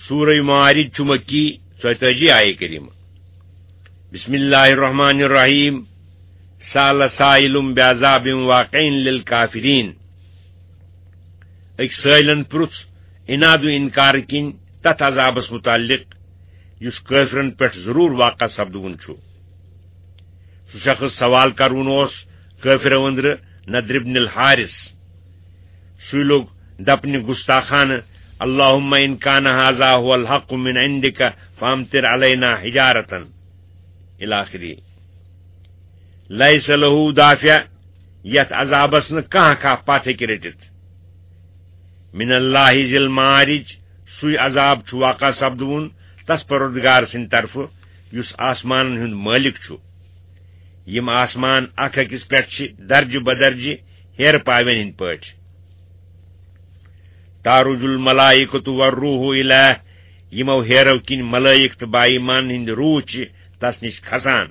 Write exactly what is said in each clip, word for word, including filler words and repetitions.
سورہ معارج چھُ مکی، ژۄیتٲجی آیے کریمہ۔ بسم اللہ الرحمن الرحیم۔ سأل سائل بعذاب واقع للکافرین۔ أکۍ سٲیلن پرُژھ عناد و انکار کِنۍ تتھ عذابس متعلق یُس کٲفرن پٮ۪ٹھ ضروٗر واقع سپدوُن چھُ۔ سُہ شخص سوال کرون اوس کٲفرو أنٛدرٕ نضر ابن الحارث۔ سُے لوٚگ دپنہِ گستاخانہٕ، "اللہم ان کان ھذا ھو الحق من عندک فامطر علینا حجارة" الی آخرہ۔ لیس لہ دافع، یتھ عذابس نہٕ کانٛہہ کانٛہہ پتھ ہیٚکہِ رٔٹِتھ۔ من اللہ ذی المعارج، سُے عذاب چھُ واقع سپدوُن تس پروردگار سٕنٛدِ طرفہٕ یُس آسمانن ہُنٛد مٲلِک چھُ۔ یِم آسمان اکھ أکِس پٮ۪ٹھ چھِ درجہٕ بدرجہٕ ہیرٕ پاوٮ۪ن ہٕنٛدۍ پٲٹھۍ۔ تعرج الملائکۃ والروح الیہ، یِمو ہیرو کِنۍ ملائک تہٕ با ایمان ہٕنٛدۍ روح چھِ تس نِش کھسان۔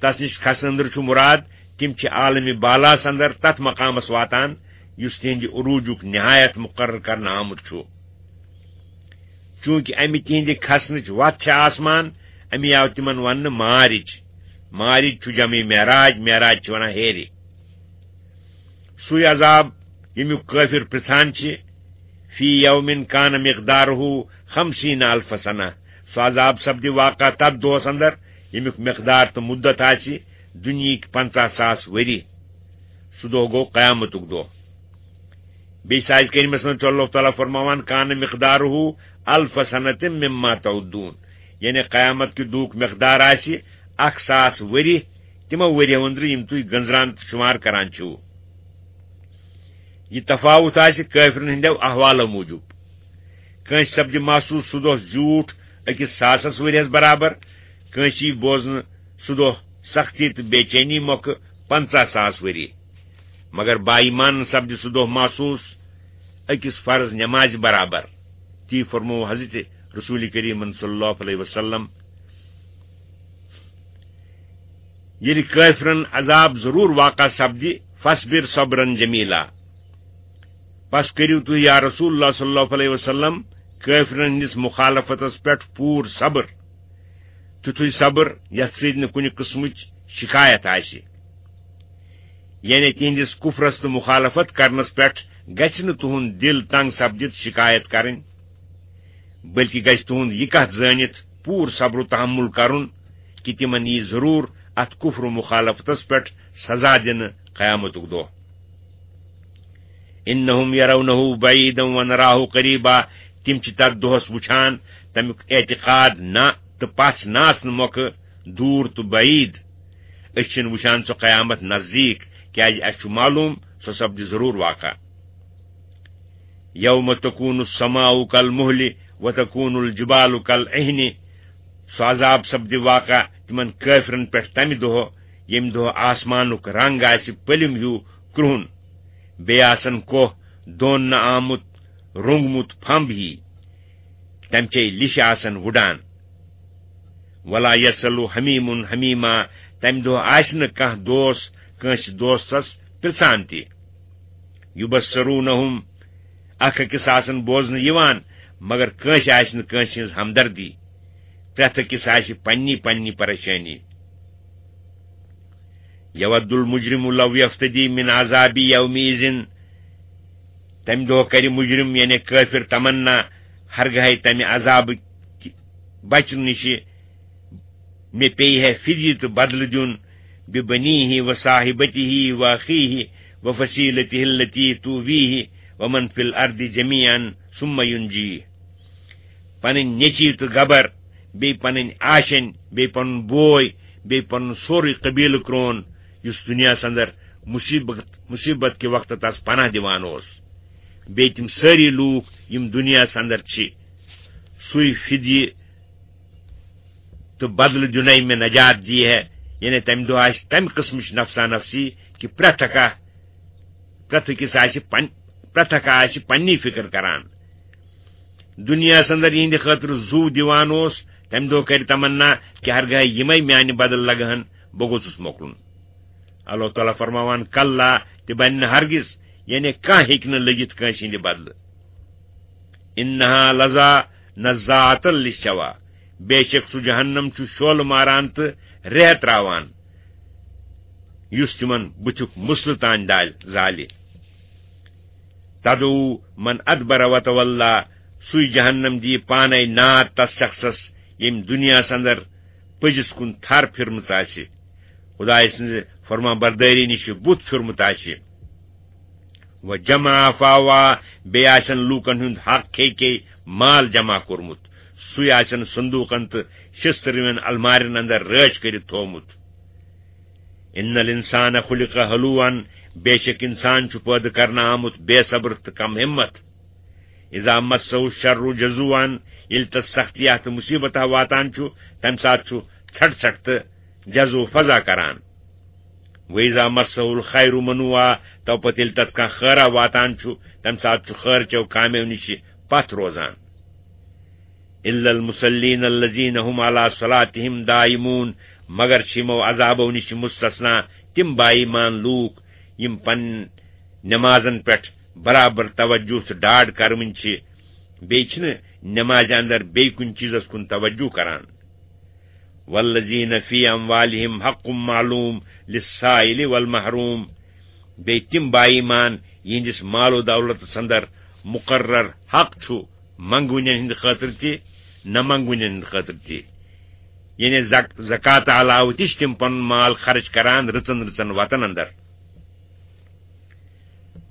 تس نِش کھسنہٕ أنٛدرٕ چھُ مُراد، تِم چھِ عالمِ بالاہس اندر تتھ مقامس واتان یُس تِہنٛدِ عروجُک نہایت مقرر کرنہٕ آمُت چھُ۔ چوٗنٛکہِ امہِ تِہنٛدِ کھسنٕچ وتھ چھےٚ آسمان، امی آو تِمن وننہٕ معارج۔ معارج چھُ جمع معراج، معراج چھِ ونان ہیرِ۔ سُے عذاب، ییٚمیُک کٲفِر پرژھان چھِ، فی یوم کان مقدارہ خمسین الف سنہ۔ سُہ عذاب سپدِ واقع تتھ دۄہس اندر، ییٚمیُک مقدار تہٕ مدت آسہِ دُنیہٕکۍ پنژاہ ساس ؤری۔ سُہ دۄہ گوٚو قیامتُک دۄہ۔ بیٚیہِ سازِ کریمس منٛز چھُ اللہ تعالیٰ فرماوان، "کان مقدارہ الف سنۃ مما تعدون"، یعنی قیامت کہِ دُہُک مقدار آسہِ اکھ ساس ؤری، تِمو ؤریو أنٛدرٕ یِم تُہۍ گٔنزران تہٕ شُمار کران چھِو۔ یہِ تفاوت آسہِ کٲفرن ہٕنٛدیو احوالو موٗجوٗب۔ کٲنٛسہِ سپدِ محسوٗس سُہ دۄہ زیوٗٹھ أکِس ساسس ؤریس برابر، کٲنٛسہِ یی بوزنہٕ سُہ دۄہ سختی تہٕ بے چینی مۄکھٕ پنژاہ ساس ؤری۔ مگر با ایمانن سپدِ سُہ دۄہ محسوٗس أکِس فرض نمازِ برابر۔ تی فرموو حضرت رسول کریم صلی اللہ علیہ وسلم۔ ییٚلہِ کٲفرن عذاب ضروٗر واقع سپدِ، فاصبر صبرا جمیلا۔ پس کٔرِو تُہۍ یا رسول اللہ صلی اللہ علیہ وسلم کٲفرن ہٕنٛدِس مخالفتس پٮ۪ٹھ پوٗرٕ صبر، تیُتھُے صبر یتھ سۭتۍ نہٕ کُنہِ قٕسمٕچ شکایت آسہِ۔ یعنی تِہنٛدِس کفرس تہٕ مخالفت کرنس پٮ۪ٹھ گژھِ نہٕ تُہنٛد دِل تنگ سپدِتھ شکایت کرٕنۍ، بلکہ گژھِ تُہنٛد یہِ کتھ زٲنِتھ پوٗرٕ صبر و تحمل کرُن کہِ تِمن یی ضروٗر اتھ کفر و مخالفتس پٮ۪ٹھ سزا دِنہٕ قیامتُک دۄہ۔ انہم یرونہ بعیدا ونراہ قریبا، تِم چھِ تتھ دۄہس وٕچھان، تمیُک اعتقاد نہ تہٕ پژھ نہ آسنہٕ مۄکھٕ دوٗر تہٕ بعید۔ أسۍ چھِنہٕ وٕچھان سۄ قیامت نزدیٖک، کیازِ اَسہِ چھُ معلوٗم سۄ سپدِ ضروٗر واقع۔ یوم تکون السماء کالمہل وتکون الجبال کالعہن، سُہ عذاب سپدِ واقع تِمن کٲفرن پٮ۪ٹھ تمہِ دۄہ، ییٚمہِ دۄہ آسمانُک رنگ آسہِ پٔلِم ہیوٗ کرٛہُن، بیٚیہِ آسن کوہ دون نہٕ آمُت، روٚنگمُت پھمب ہی، تمہِ چے لِشہِ آسن وُڈان۔ ولا یسل حمیم حمیما، تمہِ دۄہ آسہِ نہٕ کانٛہہ دوس کٲنٛسہِ دوستس پرژھان تہِ۔ یبصرونہم، اکھ أکِس آسن بوزنہٕ یِوان، مگر کٲنٛسہِ آسہِ نہٕ کٲنٛسہِ ہٕنٛز ہمدردی۔ پرٛٮ۪تھ أکِس آسہِ پننی پننی پریشٲنی۔ یود المجرم لو یفتدی من عذاب یومئذ، تمہِ دۄہ کرِ مجرم یعنی کٲفر تمنا، ہرگاہے تمہِ عذابہٕ بچنہٕ نِشہِ مےٚ پیٚیہِ ہے فدیہ تہٕ بدلہٕ دیُن، ببنیہ وصاحبتہ واخیہ وفصیلتہ التی تؤویہ ومن فی الارض جمیعا ثم ینجیہ۔ پنٕنۍ نیٚچی تہٕ گبر، بیٚیہِ پنٕنۍ آشینۍ، بیٚیہِ پنُن بوے، بیٚیہِ پنُن سورُے قبیلہٕ کرون، یُس دُنیاہس اندر مصیبت، مصیبت کہِ وقتہٕ تس پناہ دِوان اوس۔ بیٚیہِ تِم سٲری لوٗکھ، یِم دُنیاہس اندر چھِ، سُے فدیہ تہٕ بدلہٕ دیُنے مےٚ نجات دیہِ ہے، یعنی تمہِ دۄہ آسہِ تمہِ قٕسمٕچ نفسا نفسی کہِ پرٛٮ۪تھ کانٛہہ، پرٛٮ۪تھ أکِس آسہِ پن-، پرٛٮ۪تھ کانٛہہ آسہِ پننی فکر کران۔ دُنیاہس اندر یِہنٛدِ خٲطرٕ زُو دِوان اوس، تمہِ دۄہ کرِ تمنا کہِ ہرگاہ یِمے میانہِ بدل لگہٕ ہن، بہٕ گوٚژھُس مۄکلُن۔ اللہ تعالیٰ فرماوان، کلا، تہِ بنہِ نہٕ ہرگز، یعنی کانٛہہ ہیٚکہِ نہٕ لٔگِتھ کٲنٛسہِ ہٕنٛدِ بدلہٕ۔ انہا لذا نزاعة للشوى، بے شک سُہ جہنم چھُ شعلہٕ ماران تہٕ ریہہ تراوان، یُس تِمن بُتھیُک مسلہٕ تام دالہِ، زالہِ۔ تدعو من ادبر وتولى، سُے جہنم دِیہِ پانے نار تس شخصس، ییٚمۍ دُنیاہس اندر پٔزِس کُن تھر پھِرمٕژ آسہِ، خدایہِ سٕنزِ فرما بردٲری نِش بُتھ پھِرمُت آسہِ۔ وجمع فاوعى، بیٚیہِ آسن لوٗکن ہُنٛد حق کھے کھے مال جمع کوٚرمُت، سُے آسن صندوقن تہٕ شستروٮ۪ن المارٮ۪ن اندر رٲچھ کٔرِتھ تھوومُت۔ ان الانسان خلق هلوعا، بے شک انسان چھُ پٲدٕ کرنہٕ آمُت بے صبر تہٕ کم ہمت۔ اذا مسه الشر جزوعا، ییٚلہِ تس سختی تہٕ مصیبت واتان چھُ، تمہِ ساتہٕ چھُ ژھٹھ ژھٹھ تہٕ جزو فضا کران۔ واذا مسه الخير منوعا، تو پتہٕ ییٚلہِ تس کانٛہہ خٲرا واتان چھُ، تمہِ ساتہٕ چھُ خٲر چیو کامیو نِش پتھ روزان۔ الا المصلين الذين هم على صلاتهم دائمون، مگر چھِ یِمو عذابو نِش مستثنا تِم با ایمان لوٗکھ، یِم پنٕنۍ نمازن پٮ۪ٹھ برابر توجہ تہٕ ڈاڈ کرونۍ چھِ، بیٚیہِ چھِنہٕ نمازِ اندر بیٚیہِ کُنہِ چیٖزس کُن توجہ کران۔ والذين في اموالهم حق معلوم للسائل والمحروم، بیٚیہِ تِم با ایمان یِہنٛدِس مال و دولتس اندر مقرر حق چھُ منگونٮ۪ن ہٕنٛدِ خٲطرٕ تہِ، نہ منگونٮ۪ن ہٕنٛدِ خٲطرٕ تہِ۔ یعنی زک-، زکات علاوٕ تہِ چھِ تِم پنُن مال خرچ کران رٕژن رٕژن وتن اندر۔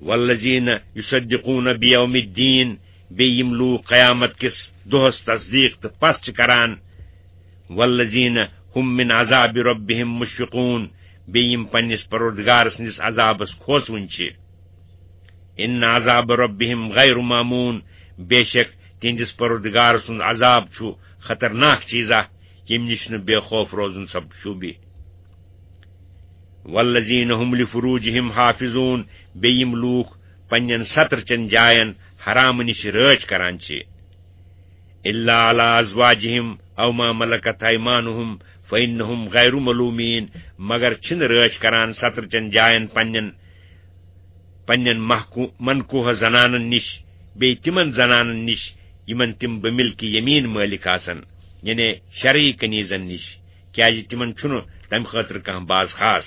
والذين يصدقون بيوم الدين، بیٚیہِ یِم لوٗکھ قیامت کِس دۄہس تصدیٖق تہٕ پژھ چھِ کران۔ والذين هم من عذاب ربهم مشفقون، بیٚیہِ یِم پننِس پروردگار سٕنٛدِس عذابس کھوژوٕنۍ چھِ۔ ان عذاب ربهم غير مامون، بے شک تِہنٛدِس پروردگار سُنٛد عذاب چھُ خطرناک چیٖزا، ییٚمہِ نِش نہٕ بے خوف روزُن سب شوٗبہِ۔ والذين هم لفروجهم حافظون، بیٚیہِ یِم لوٗکھ پننٮ۪ن ستر چٮ۪ن جاین حرامہٕ نِش رٲچھ کران چھِ۔ الا على ازواجهم او ما ملكت ايمانهم فانهم غير ملومين، مگر چھِنہٕ رٲچھ کران ستر چٮ۪ن جاین پننٮ۪ن، پننٮ۪ن محکو-، منکوہ زنانن نِش، بیٚیہِ تِمن زنانن نِش یِمن تِم بملک یمین مٲلِک آسن، یعنی شرعی کنیزن نِش، کیازِ تِمن چھُنہٕ تمہِ خٲطرٕ کانٛہہ باز خاص۔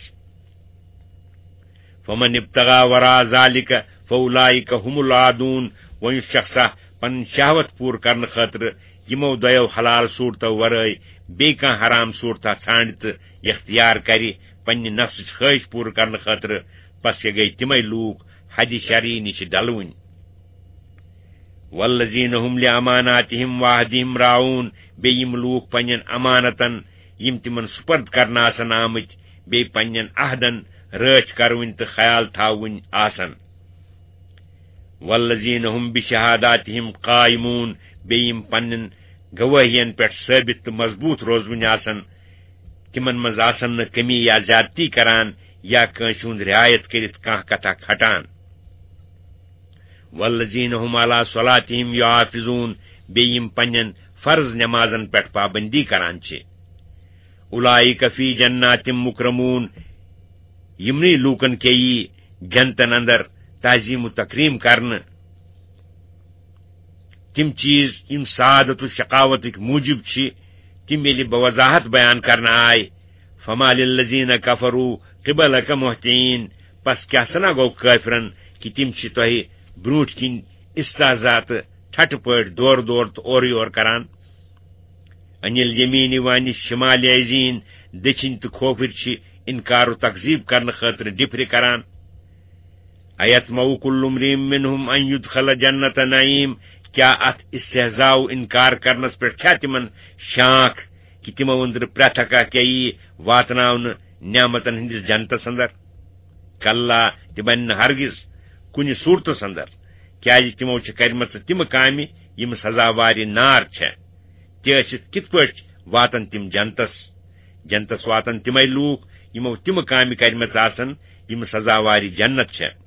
فمن ابتغى وراء ذلك فاولئك هم العادون، وۄنۍ یُس شخصا پنٕنۍ شہوت پوٗرٕ کرنہٕ خٲطرٕ یِمو دۄیو حلال صوٗرتو ورٲے بیٚیہِ کانٛہہ حرام صوٗرتا ژھانٛڈِ تہٕ اختیار کرِ پننہِ نفسٕچ خٲہِش پوٗرٕ کرنہٕ خٲطرٕ، پس یہِ گٔے تِمے لوٗکھ حدِ شرعی نِش ڈلوٕنۍ۔ والذين هم لأماناتهم وعهدهم راعون، بیٚیہِ یِم لوٗکھ پننٮ۪ن امانتن، یِم تِمن سپرد کرنہٕ آسن آمٕتۍ، بیٚیہِ پننٮ۪ن عہدن رٲچھ کرٕوٕنۍ تہٕ خیال تھاوٕنۍ آسن۔ والذين هم بشهاداتهم قائمون، بیٚیہِ یِم پننٮ۪ن گوٲہین پٮ۪ٹھ ثٲبت تہٕ مضبوٗط روزوٕنۍ آسن، تِمن منٛز آسن نہٕ کمی یا زیادتی کران یا کٲنٛسہِ ہُنٛد رعایت کٔرِتھ کانٛہہ کتھا کھٹان۔ والذين هم على صلاتهم يحافظون، بیٚیہِ یِم پننٮ۪ن فرض نمازن پٮ۪ٹھ پابندی کران چھِ۔ اولئک فی جنات مکرمون، یِمنٕے لوٗکن کے یی جنتن اندر تعظیم و تکریم کرنہٕ۔ تِم چیٖز یِم سعادت و شقاوتٕکۍ موٗجب چھِ، تِم ییٚلہِ بوضاحت بیان کرنہٕ آے، فما للذین کفروا قبلک مہطعین، پس کیٛاہ سنا گوٚو کٲفرن کہِ تِم چھِ تۄہہِ برٛونٛٹھ کِنۍ استہزا تہٕ ٹھٹھٕ پٲٹھۍ دورٕ دورٕ تہٕ اورٕ یور کران؟ عن الیمین و عن الشمال عزین، دٔچھِنۍ تہٕ کھوفٕرۍ چھِ انکار و تکذیب کرنہٕ خٲطرٕ ڈِپھرِ کران۔ ایطمع کل امرئ منہم ان یدخل جنت نعیم، کیا اتھ استہزاء و انکار کرنس پٮ۪ٹھ چھا تِمن شانکھ کہِ تِمو أنٛدرٕ پرٛٮ۪تھ اکھ اکھ یی واتناونہٕ نعمتن ہٕنٛدِس جنتس اندر؟ کلا، تہِ بنہِ نہٕ ہرگز کُنہِ صورتس اندر، کیازِ تِمو چھِ کرِمژٕ تِمہٕ کامہِ یِم سزاوارِ نار چھےٚ۔ تہِ ٲسِتھ کِتھ پٲٹھۍ واتن تِم جنتس؟ جنتس واتن تِمے لوٗکھ یِمو تِمہٕ کامہِ کرِمژٕ آسن یِم سزاوارِ جنت چھےٚ۔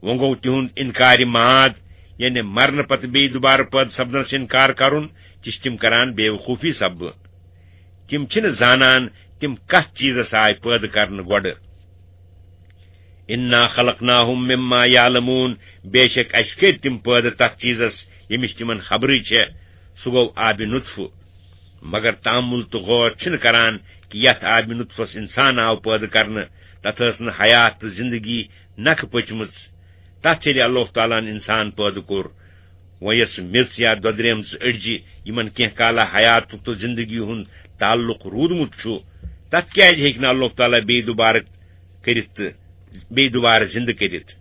وۄنۍ گوٚو تِہُنٛد انکارِ معاد، یعنی مرنہٕ پتہٕ بیٚیہِ دوبارٕ پٲدٕ سپدنس انکار کرُن، تہِ چھِ تِم کران بے وقوفی سببہٕ۔ تِم چھِنہٕ زانان تِم کتھ چیٖزس آے پٲدٕ کرنہٕ گۄڈٕ۔ انا خلقناہم مما یعلمون، بے شک اسہِ کٔرۍ تِم پٲدٕ تتھ چیٖزس ییٚمِچ تِمن خبرٕے چھےٚ۔ سُہ گوٚو آبِ نُطفہٕ۔ مگر تأمُّل تہٕ غور چھِنہٕ کران کہِ یَتھ آبِ نُطفَس اِنسان آو پٲدٕ کرنہٕ، تَتھ ٲس نہٕ حیات تہٕ زِندگی نَکھٕ پٔچمٕژ۔ تَتھ ییٚلہِ اللہ تعالیٰ ہَن اِنسان پٲدٕ کوٚر، وۄنۍ یۄس میٚژ یا دۄدریمژٕ أڈجہِ یِمَن کینٛہہ کالہ حیاتُک تہٕ زِندگی ہُنٛد تعلق روٗدمُت چھُ، تَتھ کیٛازِ ہیٚکہِ نہٕ اللہ تعالیٰ بیٚیہِ دُبارٕ کٔرِتھ تہٕ بیٚیہِ دُبارٕ زِندٕ کٔرِتھ؟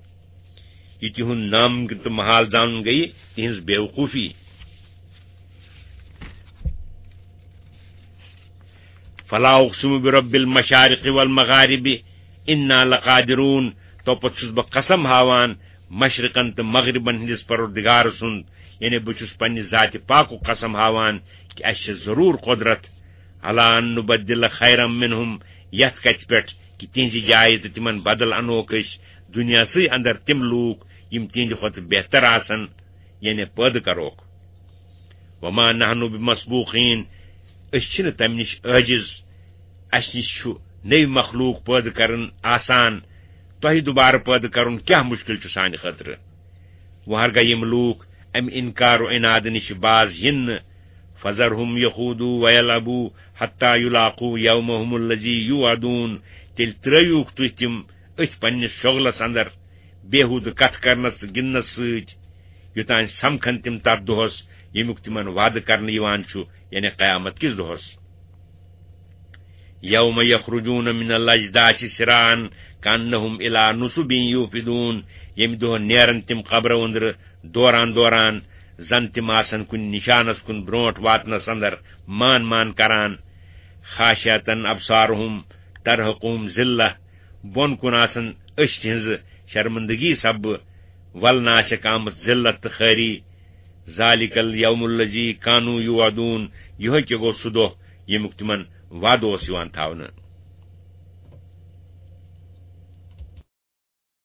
یہِ تِہُنٛد نامُمکِن تہٕ محال زانُن گٔیہِ تِہِنٛز بیوقوٗفی۔ فلا اقسم برب المشارق والمغارب انا لقادرون، توپتہٕ چھُس بہٕ قسم ہاوان مشرقن تہٕ مغربن ہٕنٛدِس پروردگار سُنٛد، یعنی بہٕ چھُس پننہِ ذاتِ پاکُک قسم ہاوان کہِ اَسہِ چھِ ضروٗر قۄدرت، علی ان نبدل خیرا منہم، یتھ کتھِ پٮ۪ٹھ کہِ تِہنٛزِ جایہِ تہٕ تِمن بدل انوکھ أسۍ دُنیاہسٕے اندر تِم لوٗکھ یِم تِہنٛدِ کھۄتہٕ بہتر آسن، یعنی پٲدٕ کروکھ۔ وما نحن بمسبوقین، أسۍ چھِنہٕ تمہِ نِش عٲجز، اسہِ نِش چھُ نٔوۍ مخلوق پٲدٕ کرُن آسان، تۄہہِ دُبارٕ پٲدٕ کرُن کیٛاہ مُشکِل چھُ سانہِ خٲطرٕ؟ وۄنۍ ہرگاہ یِم لوٗکھ امہِ انکار و عنادٕ نِش باز یِن نہٕ، فذرهم یخوضوا ویلعبوا حتی یلاقوا یومهم الذی یوعدون، تیٚلہِ ترٲیوکھ تُہۍ تِم أتھۍ پننِس شۄغلس اندر، بیہودٕ کتھٕ کرنس تہٕ گِنٛدنس سۭتۍ، یوٚتام سمکھن تِم تتھ دۄہس، ییٚمیُک تِمن وعدٕ کرنہٕ یِوان چھُ، یعنی قیامت کِس دۄہس۔ یوم یخرجون من الاجداث سراعا کانہم الی نصب یوفدون، ییٚمہِ دۄہ نیرن تِم قبرو أنٛدرٕ دوران دوران، زن تِم آسن کُنہِ نشانس کُن برونٛٹھ واتنس اندر مان مان کران۔ خاشعة ابصارهم ترهقهم ذلة، بۄن کُن آسن أچھ تِہنٛزٕ شرمندگی سببہٕ ولنہٕ آسٮ۪کھ آمٕژ ذلت تہٕ خٲری۔ ذلک الیوم الذی کانوا یوعدون، یِہوٚے کہِ گوٚو سُہ دۄہ ییٚمیُک تِمن وعدٕ اوس یِوان تھاونہٕ۔